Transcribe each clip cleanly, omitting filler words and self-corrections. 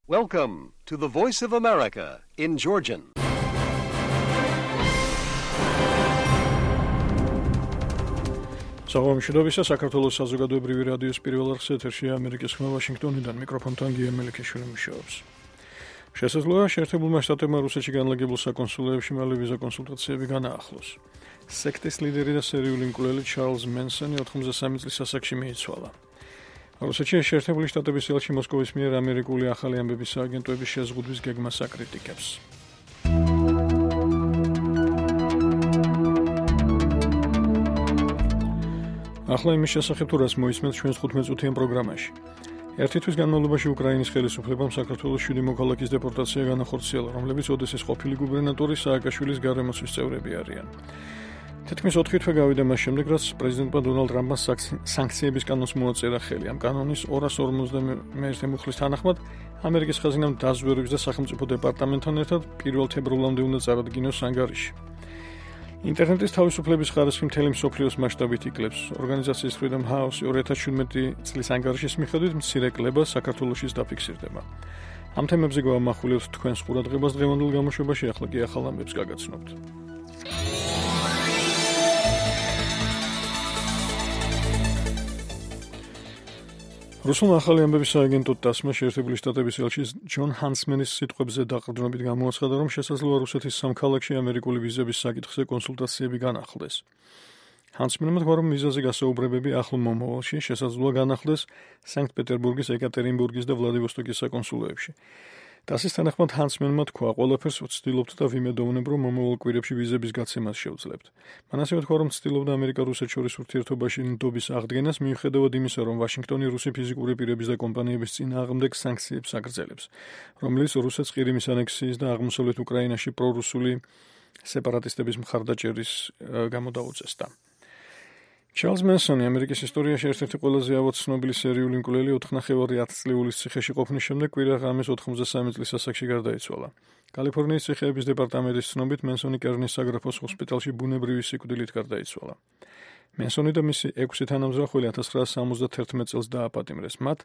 Welcome to the Voice of America in Georgian. Საღამოშიდობისა საქართველოს საზოგადოებრივი რადიოს პირველ არხს ეთერშია ამერიკის ხმა ვაშინგტონიდან მიკროფონთან გია მელიქიშვილი მუშაობს. შესაძლოა შეერთებულმა შტატებმა რუსეთში განლაგებულ საკონსულოებში მალე ვიზა კონსულტაციები განაახლოს. სექტის ლიდერი და სერიული მკვლელი ჩარლზ მენსონი 93 წლის ასაკში მიიცვალა. რუსეთში შეერთებული შტატების ელჩი მოსკოვის მიერ ამერიკული ახალი ამბების სააგენტოების შეზღუდვის გეგმას აკრიტიკებს. ახლა იმის შესახებ თუ რას მოისმენთ ჩვენს 15-წუთიან პროგრამაში. ერთი თვის განმავლობაში უკრაინის ხელისუფლებამ საქართველოს 7 მოქალაქის დეპორტაცია განახორციელა, რომლებიც ოდესის ყოფილი გუბერნატორი სააკაშვილის გარემოცვის წევრები არიან. თითქმის 4 თვე გავიდა მას შემდეგ, რაც პრეზიდენტმა დონალდ ტრამპმა სანქციების კანონს მოაწერა ხელი. ამ კანონის 251 მუხლის თანახმად ამერიკის ხაზინამ დაზვერვის და სახელმწიფო დეპარტამენტთან ერთად 1 თებერვლამდე უნდა წარადგინოს ანგარიში. ინტერნეტის თავისუფლების ხარისხი მთელი მსოფლიოს მასშტაბით იკლებს. ორგანიზაციის Freedom House 2017 წლის ანგარიშის მიხედვით მცირე კლება საქართველოშიც დაფიქსირდება. ამ თემებზე გავამახვილებთ თქვენს ყურადღებას დღევანდელ გამოშვებაში, ახლა კი ახალ ამბებს გაგაცნობთ. რუსულმა ახალი ამბების სააგენტო TASS-მა შეერთებული შტატების ელჩის ჯონ ჰანსმენის სიტყვებზე დაყრდნობით გამოაცხადა, რომ შესაძლოა რუსეთის სამ ქალაქში ამერიკული ვიზების საკითხზე კონსულტაციები განახლდეს. ჰანსმენმა თქვა, რომ ვიზაზე გასაუბრებები ახლო მომავალში შესაძლოა განახლდეს სანქტ-პეტერბურგის, ეკატერინბურგის და ვლადივოსტოკის საკონსულოებში. TASS-ის თანახმად ჰანსმენმა თქვა, ყველაფერს ვცდილობთ და ვიმედოვნებ, რომ მომავალ კვირებში ვიზების გაცემას შევძლებთ. მან ასევე თქვა, რომ ცდილობდა ამერიკა-რუსეთ შორის ურთიერთობაში ნდობის აღდგენას, მიუხედავად იმისა, რომ ვაშინგტონი რუსი ფიზიკური პირების და კომპანიების წინააღმდეგ სანქციებს აგრძელებს, რომელიც რუსეთს ყირიმის ანექსიის და აღმოსავლეთ უკრაინაში პრორუსული სეპარატისტების მხარდაჭერის გამო დაუწესდა. ჩარლზ მენსონი ამერიკის ისტორიაში ერთ-ერთი ყველაზე ავად ცნობილი სერიული მკვლელი 4,5 წლების ციხეში ყოფნის შემდეგ კვირა ღამეს 93 წლის ასაკში გარდაიცვალა. კალიფორნიის ციხეების დეპარტამენტის ცნობით მენსონი კერნის საგრაფოს ჰოსპიტალში ბუნებრივი სიკვდილით გარდაიცვალა. მენსონი და მისი 6 თანამძრახველი 1971 წელს დააპატიმრეს. მათ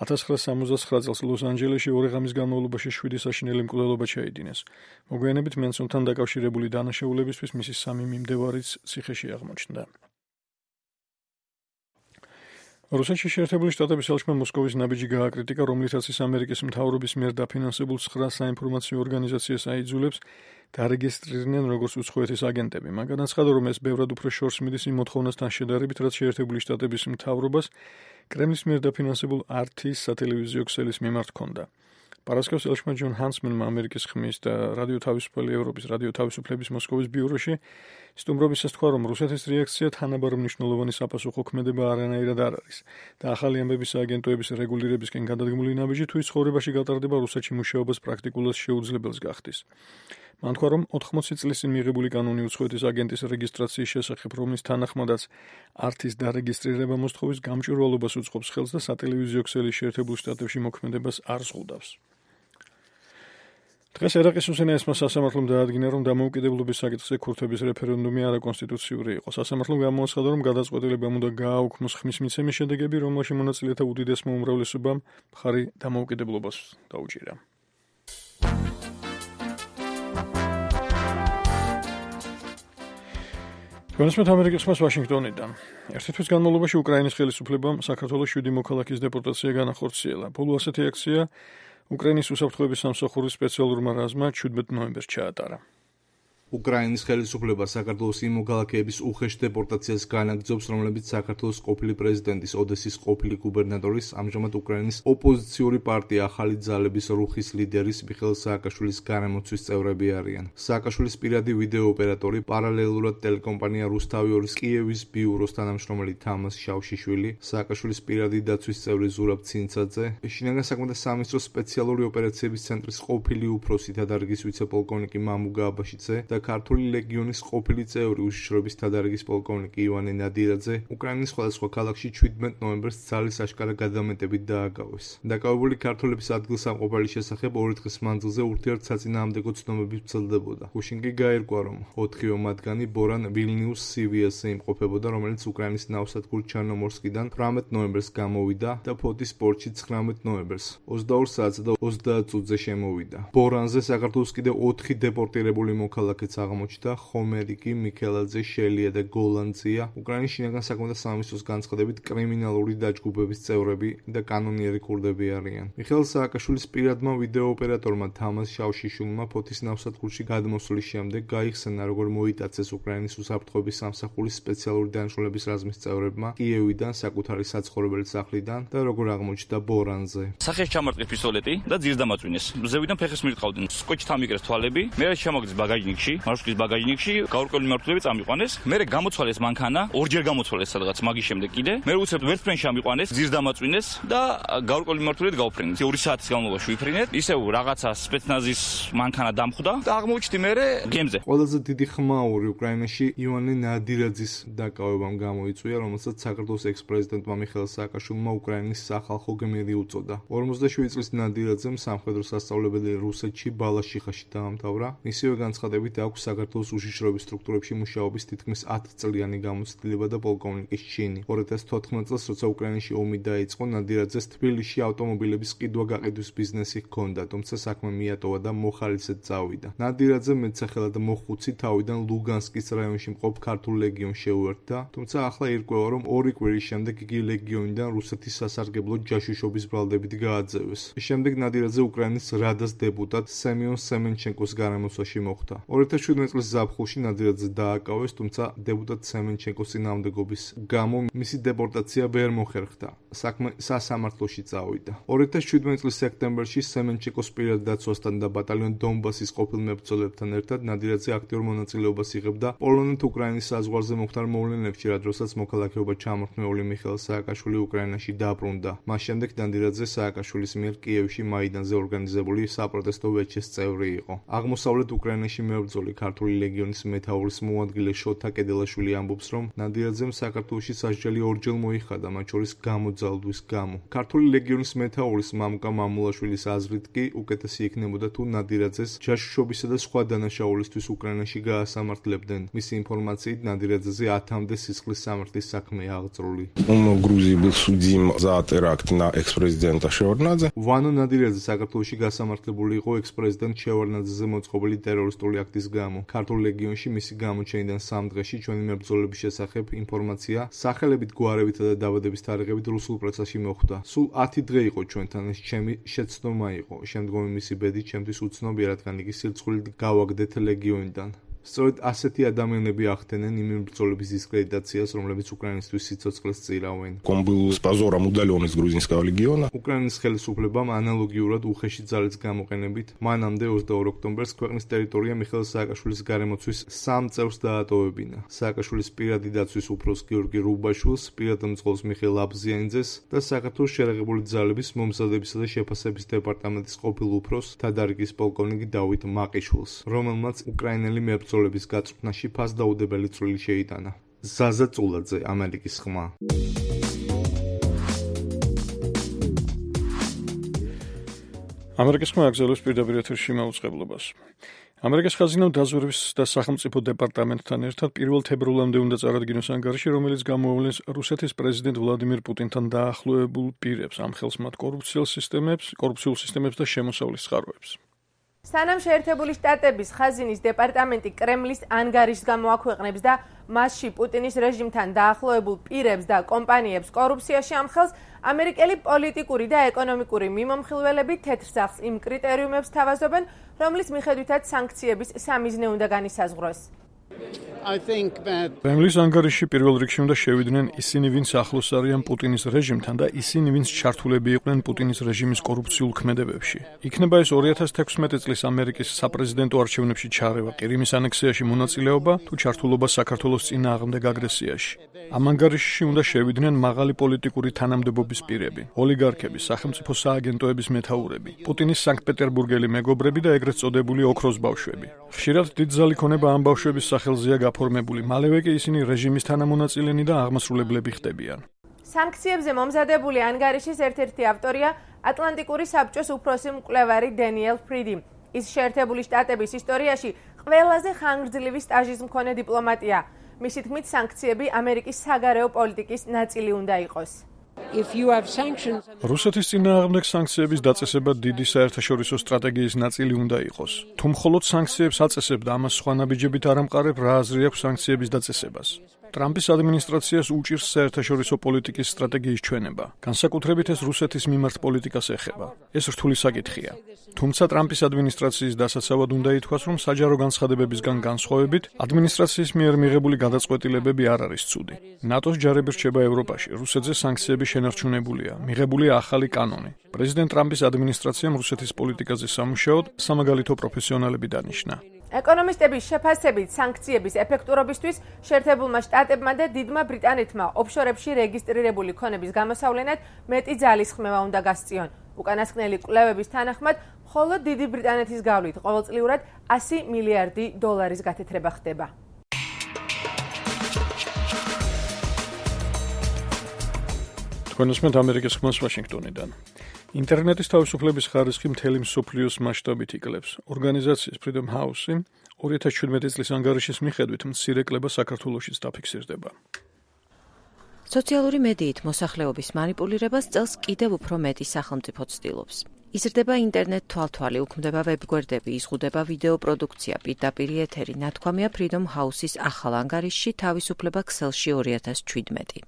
1979 წელს ლოს-ანჯელესში 2 ღამის განმავლობაში 7 საშინელი მკვლელობა ჩაიდინეს. მოგვიანებით მენსონთან დაკავშირებული დანაშაულებისთვის მისი 3 მიმდევარიც ციხეში აღმოჩნდა. რუსეთში შეერთებული შტატების ელჩმა მოსკოვის ნაბიჯი გააკრიტიკა, რომლითაც ის ამერიკის მთავრობის მიერ დაფინანსებულ 9 საინფორმაციო ორგანიზაციას აიძულებს დარეგისტრირდნენ როგორც უცხოეთის აგენტები. მან განაცხადა, რომ ეს ბევრად უფრო შორს მიდის იმ მოთხოვნასთან შედარებით, რაც შეერთებული შტატების მთავრობას კრემლის მიერ დაფინანსებულ RT-ის სატელევიზიო ქსელის მიმართ ჰქონდა. პარასკევს ელჩმა ჯონ ჰანსმენმა ამერიკის ხმის და რადიო თავისუფალი ევროპის რადიო თავისუფლების მოსკოვის ბიუროში სტუმრობისას თქვა, რომ რუსეთის რეაქცია თანაბარ მნიშვნელოვანი საპასუხო ქმედება არანაირად არ არის და ახალი ამბების სააგენტოების რეგულირებისკენ გადადგმული ნაბიჯი თუ ის ცხოვრებაში გატარდება, რუსეთში მუშაობას პრაქტიკულად შეუძლებელს გახდის. მან თქვა, რომ 80 წლის წინ მიღებული კანონი უცხოეთის აგენტის რეგისტრაციის შესახებ, რომლის თანახმადაც RT-ის დარეგისტრირება მოსთხოვის გამჭვირვალობას უწყობს ხელს და სატელევიზიო ქსელის შეერთებულ შტატებში მოქმედებას არ ზღუდავს. დღეს ერაყის უსენაესმა სასამართლომ დაადგინა, რომ დამოუკიდებლობის საკითხზე ქურთების რეფერენდუმი არაკონსტიტუციური იყო. სასამართლომ გამოაცხადა, რომ გადაწყვეტილებამ უნდა გააუქმოს ხმის მიცემის შედეგები, რომელში მონაწილეთა უდიდესმა უმრავლესობამ მხარი დამოუკიდებლობას დაუჭირა. ჩვენსმეთ ამერიკის ხმას ვაშინგტონიდან. ერთი თვის განმავლობაში უკრაინის ხელისუფლებამ საქართველოს 7 მოქალაქის დეპორტაცია განახორციელა. ბოლო ასეთი აქცია უკრაინის უსაფრთხოების სამსახურის სპეციალურმა რაზმმა 17 ნოემბერს ჩაატარა. უკრაინის ხელისუფლება საქართველოს იმ მოქალაქეების უხეშ დეპორტაციას განაგრძობს, რომლებიც საქართველოს ყოფილი პრეზიდენტის ოდესის ყოფილი გუბერნატორის, ამჟამად უკრაინის ოპოზიციური პარტია ახალი ძალების რუხის ლიდერის მიხეილ სააკაშვილის გარემოცვის წევრები არიან. სააკაშვილის პირადი ვიდეო ოპერატორი, პარალელურად ტელეკომპანია რუსთავი-2-ის კიევის ბიუროს თანამშრომელი თამას შავშიშვილი, სააკაშვილის პირადი დაცვის წევრი ზურაბ ცინცაძე, შინაგან საქმეთა სამინისტროს სპეციალური ოპერაციების ცენტრის ყოფილი უფროსი დადარგის ვიცე-პოლკოვნიკი მამუგა აბაშიძე და ქართული ლეგიონის ყოფილი წევრი უშიშროების თადარიგის პოლკოვნიკი ივანე ნადირაძე უკრაინის სხვადასხვა ქალაქში 17 ნოემბერს ძალის აშკარა გადამეტებით დააგავეს. დაკავებული ქართველების ადგილსამყოფელი შესახებ 2 დღის მანძილზე ურთიერთსაწინააღმდეგო ცნობები ვრცელდებოდა. გუშინ კი გაირკვა, რომ 4 მათგანი ბორან ვილნიუს CVS-ზე იმყოფებოდა, რომელიც უკრაინის ნავსადგურ ჩერნომორსკიდან 18 ნოემბერს გამოვიდა და ფოთის პორტში 19 ნოემბერს 22 საათსა და 30 წუთზე შემოვიდა. ბორანზე საქართველოს კიდევ 4 დეპორტირებული მოქალაქეც აღმოჩნდა, ხომერიკი, მიქელაძე, შელია და გოლანძია, უკრაინის შინაგან საქმეთა სამინისტროს განცხადებით კრიმინალური დაჯგუფების წევრები და კანონიერი ქურდები არიან. მიხეილ სააკაშვილის პირადმა ვიდეო ოპერატორმა თამაზ შავშიშვილმა ფოთის ნავსადგურში გადმოსვლის შემდეგ გაიხსენა, როგორ მოიტაცეს უკრაინის უსაფრთხოების სამსახურის სპეციალური დანიშნულების რაზმის წევრებმა კიევიდან საკუთარი საცხოვრებელი სახლიდან და როგორ აღმოჩნდა ბორანზე. სახეს ჩამარტყეს პისტოლეტი და ძირს დამაწვინეს. მზევიდან ფეხის მირტყავდნენ. სკოჩით ამიკრეს თვალები. მე შემოგდის ბაგაჟნიკში, მარშრუტის ბაგაჟნიკში, გაურკვეველი მმართველები წამიყვანეს. მე გამოცვალეს მანქანა, ორჯერ გამოცვალეს სადღაც მაგის შემდეგ კიდე. მე უცებ ვერტფრენში ამიყვანეს, ძირს დამაწვინეს და გაურკვეველი მმართველები გაუფრინეს. 2 საათის განმავლობაში ვიფრინეთ. ისევ რაღაცა სპეცნაზის მანქანა დამხვდა და აღმოჩნდი მე გემზე. ყველაზე დიდი ხმაური უკრაინაში ივანე ნადირაძის დაკავებამ გამოიწვია, რომელსაც საქართველოს ექს-პრეზიდენტმა მიხეილ სააკაშვილმა უკრაინის სახალხო გმირი უწოდა. 47 წლის ნადირაძემ სამხედრო სასწავლებელი რუსეთში ბალაშიხაში დაამთავრა. მისივე განცხადებით აქვს საქართველოს უშიშროების სტრუქტურებში მუშაობის თითქმის 10 წლიანი გამოცდილება და პოლკოვნიკის ჩინი. 2014 წელს, როცა უკრაინაში ომი დაიწყო, ნადირაძეს თბილისში ავტომობილების ყიდვა-გაყიდვის ბიზნესი ჰქონდა, თუმცა საქმე მიატოვა და მოხალისედ წავიდა. ნადირაძე მეტსახელად მოხუცი თავიდან ლუგანსკის რაიონში მყოფ ქართულ ლეგიონს შეუერთდა, თუმცა ახლა ირკვევა, რომ 2 კვირის შემდეგ იგი ლეგიონიდან რუსეთის სასარგებლო ჯაშუშობის ბრალდებით გააძევეს. შემდეგ ნადირაძე უკრაინის რადას დეპუტატ სემიონ სემენჩენკოს გარემოსვაში მოხვდა. 2017 წლის ზაფხულში ნადირაძე დააკავეს, თუმცა დეპუტატ სემენჩენკოს წინააღმდეგობის გამო მისი დეპორტაცია ვერ მოხერხდა. საქმე სასამართლოში წავიდა. 2017 წლის სექტემბერში სემენჩენკოს პირად დაცვასთან და ბატალიონ დონბასის ყოფილ მებრძოლებთან ერთად ნადირაძე აქტიურ მონაწილეობას იღებდა პოლონეთ-უკრაინის საზღვარზე მოხდარ მოვლენებში, რადგანაც მოქალაქეობა ჩამორთმეული მიხეილ სააკაშვილი უკრაინაში დაბრუნდა. მას შემდეგ ნადირაძე სააკაშვილის მიერ კიევში მაიდანზე ორგანიზებული საპროტესტო ვეჩეს წევრი იყო. აღმოსავლეთ უკრაინაში მებრძოლი ქართული ლეგიონის მეთაურის მოადგილე შოთა კედელაშვილი ამბობს, რომ ნადირაძემ საქართველოში სასჯელი 2 მოიხადა, მათ შორის გამოძალვის გამო. ქართული ლეგიონის მეთაურის მამუკა მამულაშვილის აზრით კი უკეთესი იქნებოდა თუ ნადირაძეს ჯაშუშობისა და სხვა დანაშაულისთვის უკრაინაში გაასამართლებდნენ. მისი ინფორმაციით ნადირაძეზე 10-მდე სისხლის სამართლის საქმეა აღწრული. Грузии был судим за теракт на экс-президента Шеварднадзе. ვანო ნადირაძე საქართველოში გასამართლებული იყო ექს-პრეზიდენტ შევარდნაძეზე მოწყობილი ტერორისტული აქტის გამო. ქართულ ლეგიონში მისი გამოჩენიდან 3 დღეში ჩვენი მებრძოლების შესახებ ინფორმაცია სახელებით, გვარებითა და დაბადების თარიღებით რუსულ პრესაში მოხვდა. სულ 10 დღე იყო ჩვენთან, ეს ჩემი შეცდომა იყო. შემდგომი მისი ბედი ჩემთვის უცნობია, რადგან იგი სირცხვილით გავაგდეთ ლეგიონიდან. სწორედ ასეთი ადამიანები ახდენენ იმ მებრძოლების დისკრედიტაციას, რომლებიც უკრაინისთვის სიცოცხლეს წირავენ. Он был с позором удален из грузинского легиона. უკრაინის ხელისუფლებამ ანალოგიურად უხეში ძალის გამოყენებით მანამდე 22 ოქტომბერს ქვეყნის ტერიტორია მიხეილ სააკაშვილის გარემოცვის 3 წევრს დაატოვებინა. სააკაშვილის პირადი დაცვის უფროს გიორგი რუბაშვილს, პირად მძღოლს მიხეილ აბზიანიძეს და საქართველოს შერეღებული ძალების მომზადებისა და შეფასების დეპარტამენტის ყოფილ უფროს თადარიგის პოლკოვნიკი დავით მაყიშვილს, რომელმაც უკრაინელი მებრძოლების გაწვრთნაში ფასდაუდებელი წვლილი შეიტანა. ზაზა წულაძე, ამერიკის ხმა. ამერიკის ხმა აგზელოს პირდაპირ ეთერში მაუწყებლობას. ამერიკის ხაზინამ დაზვერვის და სახელმწიფო დეპარტამენტთან ერთად 1 თებერვლამდე უნდა წარადგინოს ანგარიში, რომელიც გამოავლენს რუსეთის პრეზიდენტ ვლადიმირ პუტინთან დაახლოებულ პირებს, ამ ხელს მათ კორუფციულ სისტემებს და შემოსავლის წყაროებს. სანამ შეერთებული შტატების ხაზინის დეპარტამენტი კრემლის ანგარიშს გამოაქვეყნებს და მასში პუტინის რეჟიმთან დაახლოებულ პირებს და კომპანიებს კორუფციაში ამხელს, ამერიკელი პოლიტიკური და ეკონომიკური მიმომხილველები თეთრ სახლს იმ კრიტერიუმებს თავაზობენ, რომლის მიხედვითაც სანქციების სამიზნე უნდა განისაზღვროს. კრემლის ანგარიშში პირველ რიგში უნდა შევიდნენ ისინი, ვინც ახლოს არიან პუტინის რეჟიმთან და ისინი, ვინც ჩართულები იყვნენ პუტინის რეჟიმის კორუფციულ ქმედებებში. იქნება ეს 2016 წლის ამერიკის საპრეზიდენტო არჩევნებში ჩარევა, ყირიმის ანექსიაში მონაწილეობა თუ ჩართულობა საქართველოს წინააღმდეგ აგრესიაში. ამ ანგარიშში უნდა შევიდნენ მაღალი პოლიტიკური თანამდებობის პირები, ოლიგარქები, სახელმწიფო სააგენტოების მეთაურები, პუტინის სანქტ-პეტერბურგელი მეგობრები და ეგრეთ წოდებული ოქროს ბავშვები. ხშირად დიდ ძალიქონება ამ ბავშვების სახელზეა გაფორმებული, მალევე კი ისინი რეჟიმის თანამონაწილენი და აღმასრულებლები ხდებიან. სანქციებზე მომზადებული ანგარიშის ერთ-ერთი ავტორია ატლანტიკური საბჭოს უფროსი მკვლევარი დენიელ ფრიდი. ის შეერთებული შტატების ისტორიაში ყველაზე ხანგრძლივი სტაჟის მქონე დიპლომატია. მისი თქმით, სანქციები ამერიკის საგარეო პოლიტიკის ნაწილი უნდა იყოს. რუსეთის წინააღმდეგ სანქციების დაწესება დიდი საერთაშორისო სტრატეგიის ნაწილი უნდა იყოს. თუ მხოლოდ სანქციებს აწესებ და ამას სხვა ნაბიჯებით არ ამყარებ, რა აზრი აქვს სანქციების დაწესებას? ტრამპის ადმინისტრაციას უჭირს საერთაშორისო პოლიტიკის სტრატეგიის ჩვენება. განსაკუთრებით ეს რუსეთის მიმართ პოლიტიკას ეხება. ეს რთული საკითხია. თუმცა ტრამპის ადმინისტრაციის დასაცავად უნდა ითქვას, რომ საჯარო განცხადებებისგან განსხვავებით, ადმინისტრაციის მიერ მიღებული გადაწყვეტილებები არ არის ცუდი. ნატოს ჯარები რჩება ევროპაში, რუსეთზე სანქციები შენარჩუნებულია, მიღებულია ახალი კანონი. პრეზიდენტ ტრამპის ადმინისტრაციამ რუსეთის პოლიტიკაზე სამუშაოდ სამაგალითო პროფესიონალები დანიშნა. ეკონომისტების შეფასებით სანქციების ეფექტურობისთვის შეერთებულმა შტატებმა და დიდმა ბრიტანეთმა ოფშორებში რეგისტრირებული ქონების გამოსავლენად მეტი ძალისხმევა უნდა გასწიონ. უკანასკნელი კვლევების თანახმად, მხოლოდ დიდი ბრიტანეთის გავლით ყოველწლიურად 100 მილიარდი დოლარის გათეთრება ხდება. თქვენ უსმენთ ამერიკის ხმას ვაშინგტონიდან. ინტერნეტის თავისუფლების ხარისხი მთელი მსოფლიოს მასშტაბით იკლებს. ორგანიზაციის Freedom House-ი 2017 წლის ანგარიშის მიხედვით მცირე კლება საქართველოშიც დაფიქსირდება. სოციალური მედიით მოსახლეობის манипуლირებას წელს კიდევ უფრო მეტი სახელმწიფო ცდილობს. იზრდება ინტერნეტ თვალთვალი, უქმდება ვებგვერდები, იზღუდება ვიდეო პროდუქცია, პირდაპირ ეთერი, ნათქვამია Freedom House-ის ახალ ანგარიშში თავისუფლება ქსელში 2017.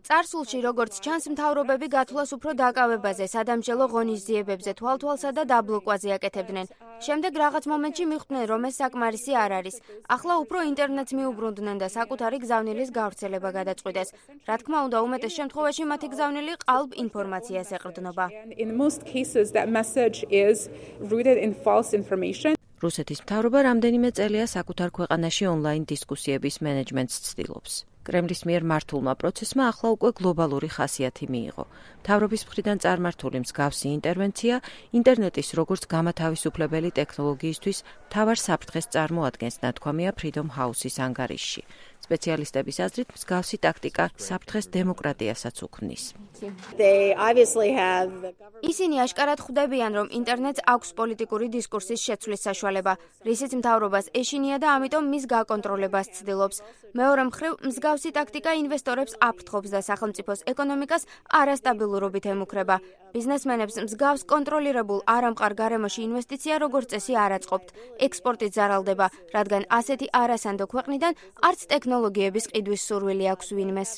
წარსულში, როგორც ჩანს, მთავრობები გათვლას უფრო დაკავებაზე, სადამსჯელო ღონისძიებებზე, თვალთვალსა და დაბლოკვაზე აკეთებდნენ. შემდეგ რაღაც მომენტში მიხვდნენ, რომ ეს საკმარისი არ არის. ახლა უფრო ინტერნეტს მიუბრუნდნენ და საკუთარი გზავნილის გავრცელება გადაწყვიტეს. რა თქმა უნდა, უმეტეს შემთხვევაში მათი გზავნილი ყალბ ინფორმაციას ეყრდნობა. რუსეთის მთავრობა რამდენიმე წელია საკუთარ ქვეყანაში ონლაინ დისკუსიების მენეჯმენტს ცდილობს. კრემლის მიერ მართულმა პროცესმა ახლა უკვე გლობალური ხასიათი მიიღო. მთავრობის მხრიდან წარმართული მსგავსი ინტერვენცია ინტერნეტის როგორც გამათავისუფლებელი ტექნოლოგიისთვის მთავარ საფრთხეს წარმოადგენს, ნათქვამია Freedom House-ის ანგარიშში. სპეციალისტების აზრით, მსგავსი ტაქტიკა საფრთხეს დემოკრატიასაც უქმნის. ისინი აშკარად ხვდებიან, რომ ინტერნეტს აქვს პოლიტიკური დისკურსის შეცვლის საშუალება, რისიც მთავრობას ეშინია და ამიტომ მის გაკონტროლებას ცდილობს. მეორე მხრივ, მსგავსი ტაქტიკა ინვესტორებს აფრთხობს და სახელმწიფოს ეკონომიკას არასტაბილურობით ემუქრება. ბიზნესმენებს მსგავს კონტროლირებულ არამყარ გარემოში ინვესტიცია როგორც წესი არ აწყობთ. ექსპორტით ზარალდება, რადგან ასეთი არასანდო ქვეყნიდან არც ტექნოლოგიების ყიდვის სურვილი აქვს ვინმეს.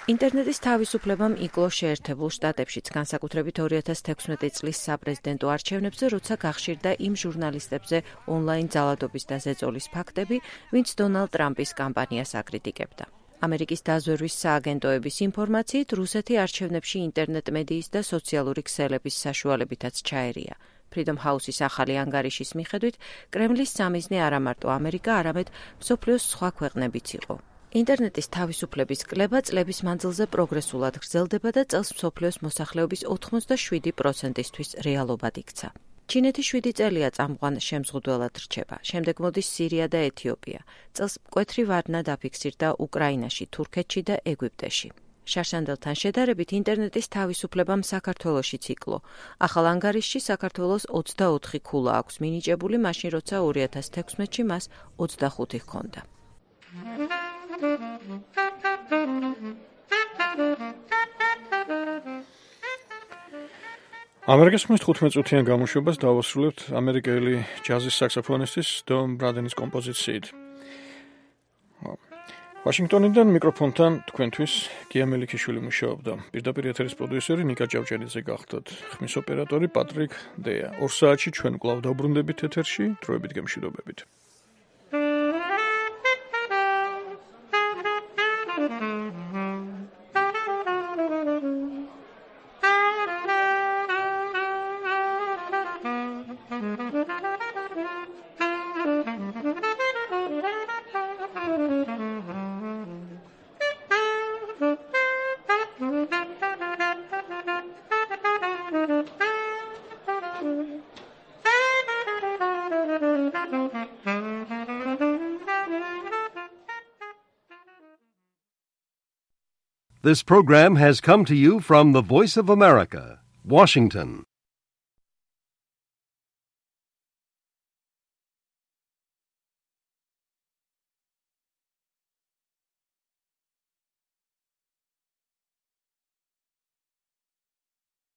ინტერნეტის თავისუფლებამ იკლო შეერთებულ შტატებშიც, განსაკუთრებით 2016 წლის საპრეზიდენტო არჩევნებზე, როცა გახშირდა იმ ჟურნალისტებზე ონლაინ ძალადობის და ზეწოლის ფაქტები, ვინც დონალდ ტრამპის კამპანიას აკრიტიკებდა. ამერიკის დაზვერვის სააგენტოების ინფორმაციით, რუსეთი არჩევნებში ინტერნეტ მედიის და სოციალური ქსელების საშუალებითაც ჩაერია. Freedom House-ის ახალი ანგარიშის მიხედვით, კრემლის სამიზნე არა მარტო ამერიკა, არამედ მსოფლიოს სხვა ქვეყნებიც იყო. ინტერნეტის თავისუფლების კლება წლების მანძილზე პროგრესულად გრძელდება და წელს მსოფლიოს მოსახლეობის 87%-ისთვის რეალობად იქცა. ჩინეთი 7 წელია წამყვან შემზღუდველად რჩება. შემდეგ მოდის სირია და ეთიოპია. წელს მკვეთრი ვარდნა დაფიქსირდა უკრაინაში, თურქეთში და ეგვიპტეში. შარშანდელთან შედარებით ინტერნეტის თავისუფლებამ საქართველოშიც იკლო. ახალ ანგარიშში საქართველოს 24 ქულა აქვს მინიჭებული, მაშინ როცა 2016-ში მას 25 ჰქონდა. ამერიკის ხმის 15 წუთიან გამოშვებას დავასრულებთ ამერიკელი ჯაზის საქსოფონისტის დონ ბრადენის კომპოზიციით. ვაშინგტონიდან მიკროფონთან თქვენთვის გია მელიქიშვილი მუშაობდა. პირდაპირ ეთერის პროდიუსერი ნიკა ჭავჭელიძე გახდათ. ხმის ოპერატორი პატრიკ დეა. 2 საათში ჩვენ კვლავ დავბრუნდებით ეთერში, დროებით გემშვიდობებით. This program has come to you from the Voice of America, Washington.